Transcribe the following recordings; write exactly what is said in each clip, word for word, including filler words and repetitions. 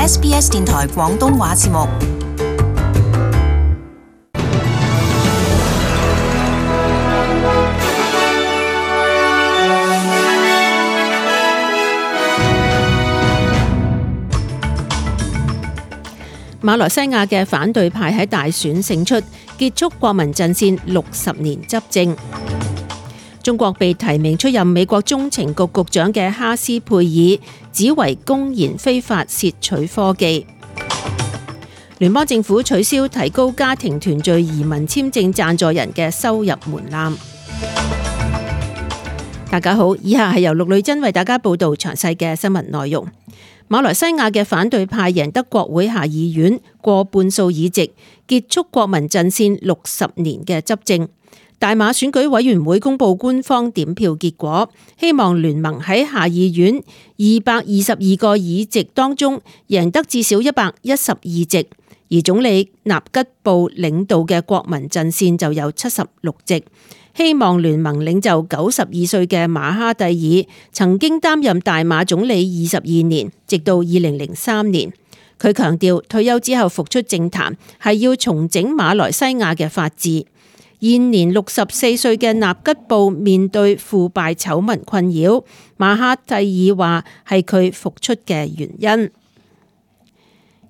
S B S 電台廣東話節目。馬來西亞嘅反對派喺大選勝出，結束國民陣線六十年執政。中國被提名出任美國中情局局長嘅哈斯佩爾指為公然非法竊取科技。聯邦政府取消提高家庭團聚移民簽證贊助人嘅收入門檻。大家好，以下係由陸女真為大家報道詳細嘅新聞內容。馬來西亞嘅反對派贏得國會下議院過半數議席，結束國民陣線六十年嘅執政。大馬選舉委員會公布官方點票結果，希望聯盟喺下議院二百二十二個議席當中贏得至少一百一十二席，而總理納吉布領導嘅國民陣線就有七十六席。希望聯盟領袖九十二歲嘅馬哈蒂爾曾經擔任大馬總理二十二年，直到二零零三年。佢強調退休之後復出政壇係要重整馬來西亞嘅法治。現年六十四歲嘅納吉布面對腐敗醜聞困擾，馬哈蒂爾話係佢復出嘅原因。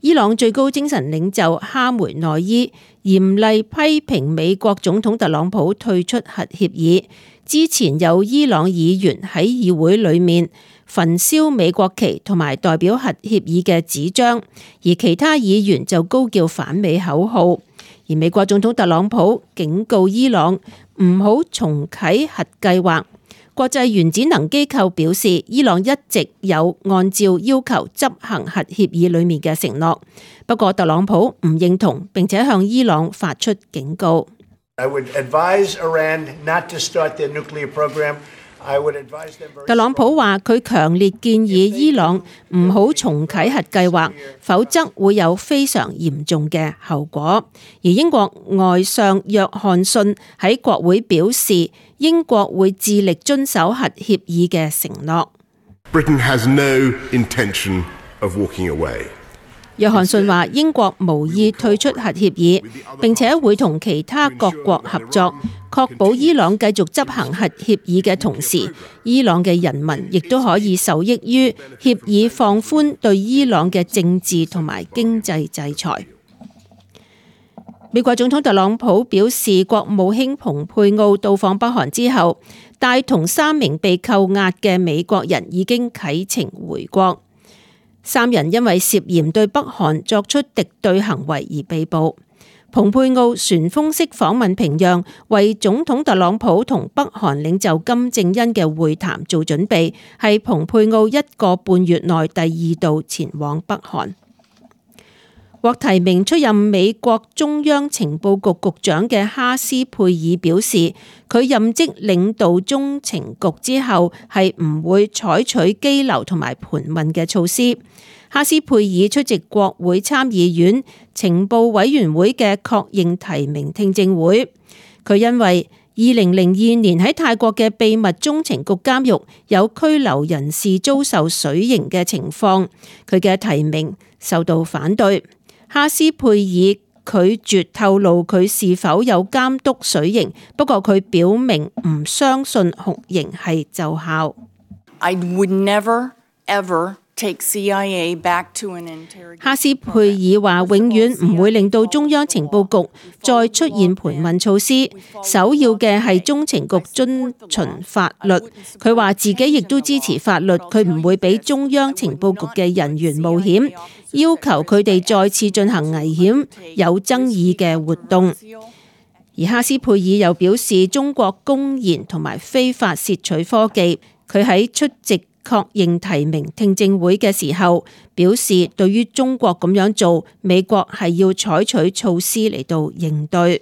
伊朗最高精神領袖哈梅內伊嚴厲批評美國總統特朗普退出核協議。之前有伊朗議員喺議會裏面焚燒美國旗同埋代表核協議嘅紙張，而其他議員就高叫反美口號。而美國總統特朗普警告伊朗唔好重啟核計劃。國際原子能機構表示，伊朗一直有按照要求執行核協議裏面嘅承諾，不過特朗普唔認同，並且向伊朗發出警告。I would advise Iran not to start their nuclear program. 特朗普話佢強烈建議伊朗唔好重啟核計劃，否則會有非常嚴重嘅後果。而英國外相約翰遜喺國會表示，英國會致力遵守核協議嘅承諾。Britain has no intention of walking away. 約翰遜話英國無意退出核協議，並且會同其他各國合作，確保伊朗繼續執行核協議嘅同時，伊朗嘅人民亦都可以受益於協議放寬對伊朗嘅政治同埋經濟制裁。美國總統特朗普表示，國務卿蓬佩奧到訪北韓之後，帶同三名被扣押嘅美國人已經啟程回國。三人因為涉嫌對北韓作出敵對行為而被捕。蓬佩奧旋風式訪問平壤，為總統特朗普同北韓領袖金正恩嘅會談做準備，係蓬佩奧一個半月內第二度前往北韓。獲提名出任美國中央情報局局長嘅哈斯佩爾表示，佢任職領導中情局之後係唔會採取羈留同埋盤問嘅措施。哈斯佩爾出席國會參議院情報委員會嘅確認提名聽證會。佢因為二零零二年喺泰國嘅秘密中情局監獄有拘留人士遭受水刑嘅情況，佢嘅提名受到反對。哈斯佩爾拒絕透露佢是否有監督水刑，不過佢表明唔相信酷刑係奏效。I would never ever take C I A back to an interrogation. 哈斯佩爾話永遠唔會令到中央情報局再出現盤問措施，首要嘅係中情局遵循法律。佢話自己亦都支持法律，佢唔會俾中央情報局嘅人員冒險，要求佢哋再次進行危險、有爭議嘅活動。而哈斯佩爾又表示，中國公然同埋非法竊取科技。佢喺出席確認提名聽證會嘅時候表示，對於中國咁樣做，美國係要採取措施嚟到應對。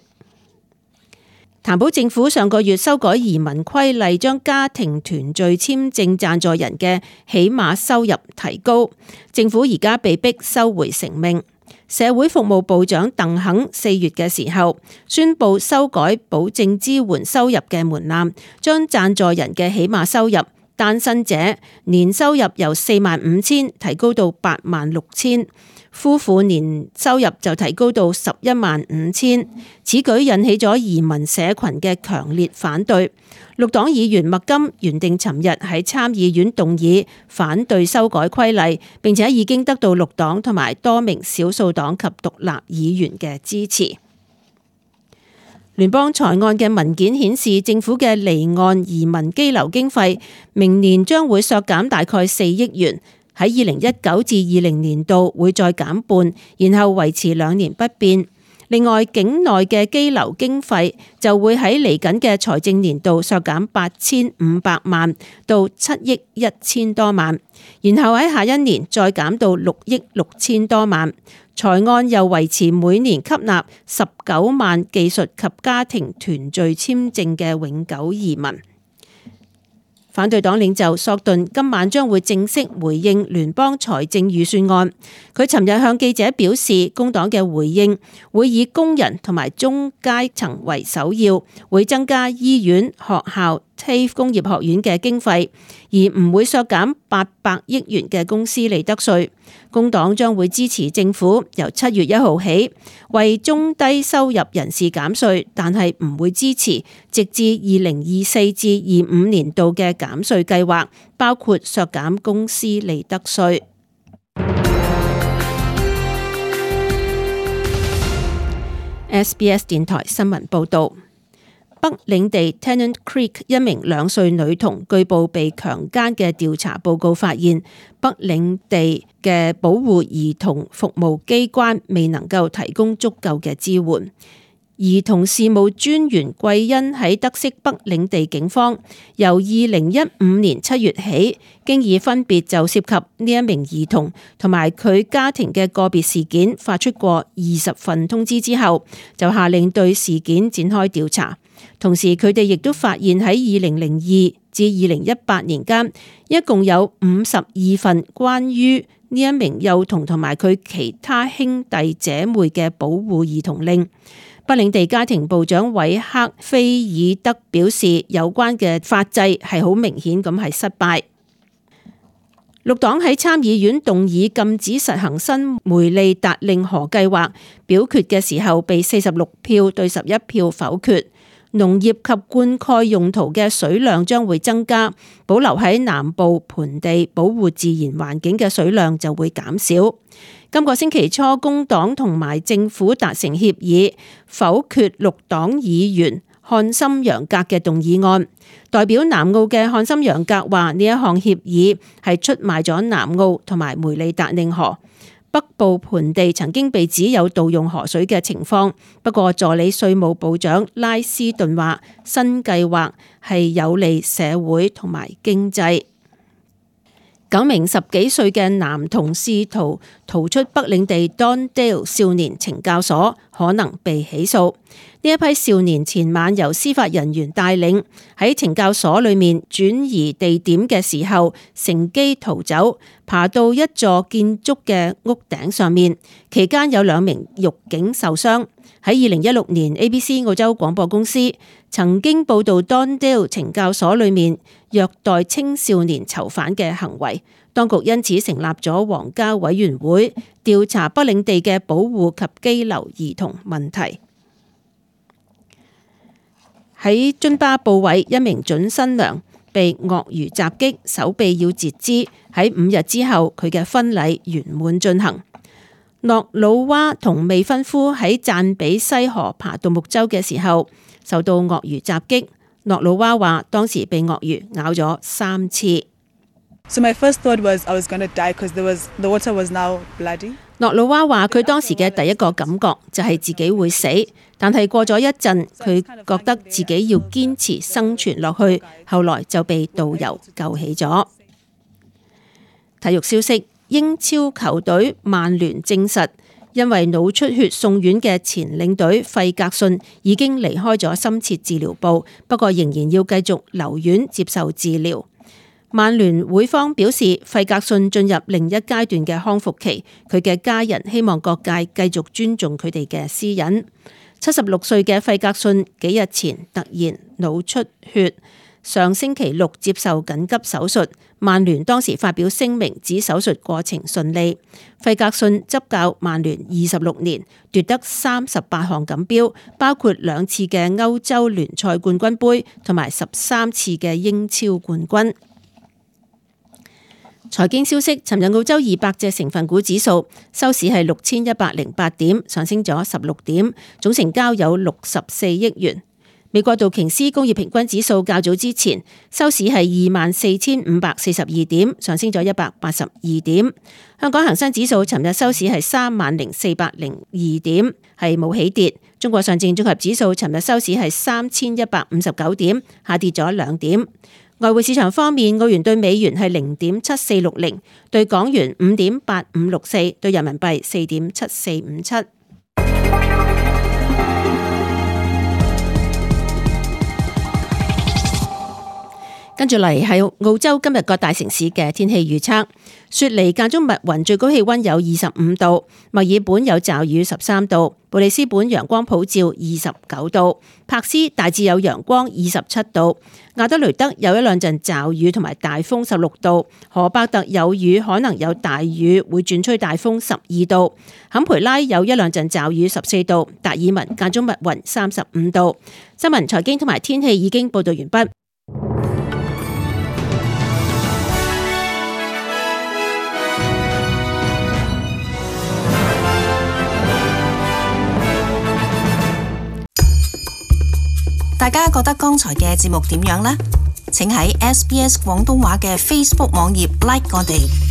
譚普政府上個月修改移民規例，將家庭團聚簽證贊助人嘅起碼收入提高，政府而家被逼收回成命。社會服務部長鄧肯四月嘅時候宣布修改保證支援收入嘅門檻，將贊助人嘅起碼收入單身者年收入由四萬五千提高到八萬六千，夫婦年收入就提高到十一萬五千。此舉引起咗移民社群嘅強烈反對。綠黨議員麥金原定尋日喺參議院動議反對修改規例，並且已經得到綠黨同埋多名少數黨及獨立議員嘅支持。聯邦財案嘅文件顯示，政府嘅離岸移民羈留經費明年將會削減大概四億元，喺二零一九至二零年度會再減半，然後維持兩年不變。另外，境內嘅羈留經費就會喺嚟緊嘅財政年度削減八千五百萬到七億一千多萬，然後喺下一年再減到六億六千多萬。財案又維持每年吸納十九萬技術及家庭團聚簽證嘅永久移民。反對黨領袖索頓今晚將會正式回應聯邦財政預算案。佢尋日向記者表示，工黨嘅回應會以工人同埋中階層為首要，會增加醫院、學校、T A F E 工業學院嘅經費，而唔會削減八百億元嘅公司利得稅。工黨將會支持政府由七月一號起為中低收入人士減稅，但係唔會支持直至二零二四至二五年度嘅減稅計劃，包括削減公司利得稅。S B S 電台新聞報道。北領地 Tennant Creek 一名兩歲女童據報被強姦嘅調查報告發現，北領地嘅保護兒童服務機關未能夠提供足夠嘅支援。兒童事務專員桂恩喺得悉北領地警方由二零一五年七月起，經已分別就涉及呢一名兒童同埋佢家庭嘅個別事件發出過二十份通知之後，就下令對事件展開調查。同時，佢哋亦都發現喺二零零二至二零一八年間，一共有五十二份關於呢一名幼童同埋佢其他兄弟姐妹嘅保護兒童令。北領地家庭部長韋克菲爾德表示，有關嘅法制係好明顯咁係失敗。綠黨喺參議院動議禁止實行新梅利達令河計劃，表決嘅時候被四十六票對十一票否決。農業及灌溉用途嘅水量將會增加，保留喺南部盆地保護自然環境嘅水量就會減少。今個星期初，工黨同埋政府達成協議，否決綠黨議員漢森楊格嘅動議案。代表南澳嘅漢森楊格話，呢一項協議係出賣咗南澳同埋梅利達令河。北部盆地曾經被指有盜用河水嘅情況，不過助理稅務部長拉斯頓話，新計劃係有利社會同埋經濟。九名十幾歲嘅男童試圖逃出北領地 Dondale 少年懲教所，可能被起訴。呢一批少年前晚由司法人員帶領喺懲教所裏面轉移地點嘅時候，乘機逃走，爬到一座建築嘅屋頂上面。期間有兩名獄警受傷。喺二零一六年 A B C 澳洲廣播公司曾經報導 Dondale 懲教所裏面虐待青少年囚犯嘅行為，當局因此成立咗皇家委員會調查北領地嘅保護及羈留兒童問題。喺津巴布韋，一名準新娘被鱷魚襲擊，手臂要截肢。喺五日之後，佢嘅婚禮圓滿進行。諾魯娃同未婚夫喺贊比西河爬獨木舟嘅時候受到鱷魚襲擊。諾魯娃話當時被鱷魚咬咗三次。So my first thought was I was going to die because there was the water was now bloody. 諾魯娃話佢當時嘅第一個感覺就係自己會死，但係過咗一陣，佢覺得自己要堅持生存落去，後來就被導遊救起咗。體育消息：英超球隊曼聯證實，因為腦出血送院嘅前領隊費格遜已經離開咗深切治療部，不過仍然要繼續留院接受治療。曼聯會方表示，費格遜進入另一階段嘅康復期，佢嘅家人希望各界繼續尊重佢哋嘅私隱。七十六歲嘅費格遜幾日前突然腦出血，上星期六接受緊急手術。曼聯當時發表聲明指手術過程順利。費格遜執教曼聯二十六年，奪得三十八項錦標，包括兩次嘅歐洲聯賽冠軍盃同埋十三次嘅英超冠軍。財經消息，尋日澳洲二百隻成分股指數收市係六千一百零八點，上升咗十六點，總成交有六十四億元。美國道瓊斯工業平均指數較早之前收市係二萬四千五百四十二點，上升咗一百八十二點。香港恒生指數尋日收市係三萬零四百零二點，係冇起跌。中國上證綜合指數尋日收市係三千一百五十九點，下跌咗兩點。外匯市場方面，澳元對美元係零點七四六零，對港元五點八五六四，對人民幣四點七四五七。跟住嚟係澳洲今日各大城市嘅天氣預測。雪梨間中密雲，最高氣溫有二十五度；墨爾本有驟雨十三度；布里斯本陽光普照二十九度；柏斯大致有陽光二十七度；亞德雷德有一兩陣驟雨同埋大風十六度；荷伯特有雨，可能有大雨，會轉吹大風十二度；坎培拉有一兩陣驟雨十四度；達爾文間中密雲三十五度。新聞、財經同埋天氣已經報道完畢。大家覺得剛才嘅節目點樣呢？請喺 S B S 廣東話嘅 Facebook 網頁 like 我哋。